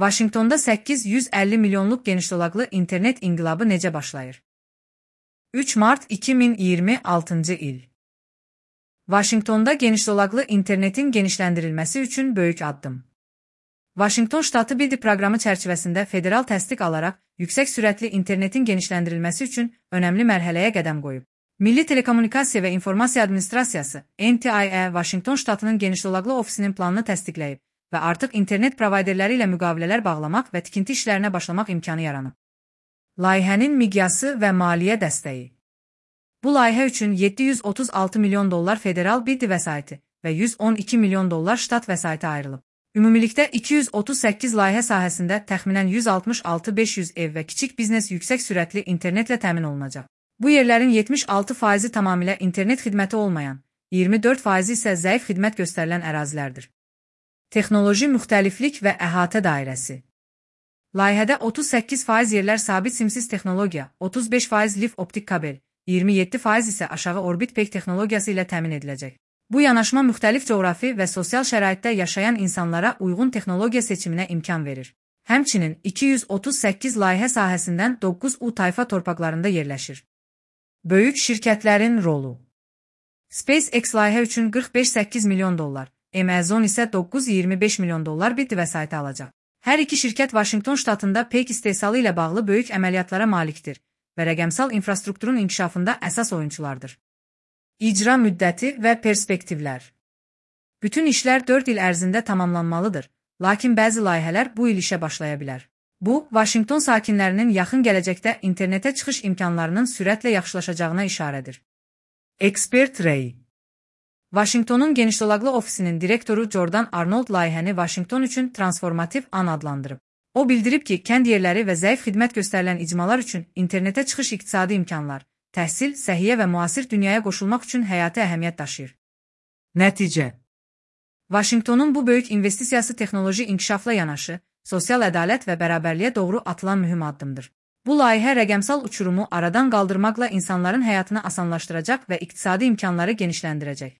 Vaşinqtonda 850 milyonluq genişdolaqlı internet inqilabı necə başlayır? 3 mart 2026-cı il. Vaşinqtonda genişdolaqlı internetin genişləndirilməsi üçün böyük addım. Vaşinqton ştatı BIDI proqramı çərçivəsində federal təsdiq alaraq yüksək sürətli internetin genişləndirilməsi üçün önəmli mərhələyə qədəm qoyub. Milli Telekommunikasiya və İnformasiya Administrasiyası NTIA Vaşinqton ştatının genişdolaqlı ofisinin planını təsdiqləyib və artıq internet provayderləri ilə müqavilələr bağlamaq və tikinti işlərinə başlamaq imkanı yaranıb. Layihənin miqyası və maliyyə dəstəyi. Bu layihə üçün $736 milyon federal BIDI vəsaiti və $112 milyon ştat vəsaiti ayrılıb. Ümumilikdə 238 layihə sahəsində təxminən 166-500 ev və kiçik biznes yüksək sürətli internetlə təmin olunacaq. Bu yerlərin 76% tamamilə internet xidməti olmayan, 24% isə zəif xidmət göstərilən ərazilərdir. Texnoloji müxtəliflik və əhatə dairəsi. Layihədə 38% yerlər sabit simsiz texnologiya, 35% lif optik kabel, 27% isə aşağı orbit peyk texnologiyası ilə təmin ediləcək. Bu yanaşma müxtəlif coğrafi və sosial şəraitdə yaşayan insanlara uyğun texnologiya seçiminə imkan verir. Həmçinin 238 layihə sahəsindən 9 tayfa torpaqlarında yerləşir. Böyük şirkətlərin rolu. SpaceX layihə üçün $45-8 milyon, Amazon isə $925 milyon BIDI vəsaiti alacaq. Hər iki şirkət Vaşinqton ştatında peyk istehsalı ilə bağlı böyük əməliyyatlara malikdir və rəqəmsal infrastrukturun inkişafında əsas oyunçulardır. İcra müddəti və perspektivlər. Bütün işlər 4 il ərzində tamamlanmalıdır, lakin bəzi layihələr bu il işə başlaya bilər. Bu, Vaşinqton sakinlərinin yaxın gələcəkdə internetə çıxış imkanlarının sürətlə yaxşılaşacağına işarədir. Ekspert Ray. Vaşinqtonun genişdolaqlı ofisinin direktoru Jordan Arnold layihəni Vaşinqton üçün transformativ an adlandırıb. O bildirib ki, kənd yerləri və zəif xidmət göstərilən icmalar üçün internetə çıxış iqtisadi imkanlar, təhsil, səhiyyə və müasir dünyaya qoşulmaq üçün həyati əhəmiyyət daşıyır. Nəticə. Vaşinqtonun bu böyük investisiyası texnoloji inkişafla yanaşı, sosial ədalət və bərabərliyə doğru atılan mühüm addımdır. Bu layihə rəqəmsal uçurumu aradan qaldırmaqla insanların həyatını asanlaşdıracaq və iqtisadi imkanları genişləndirəcək.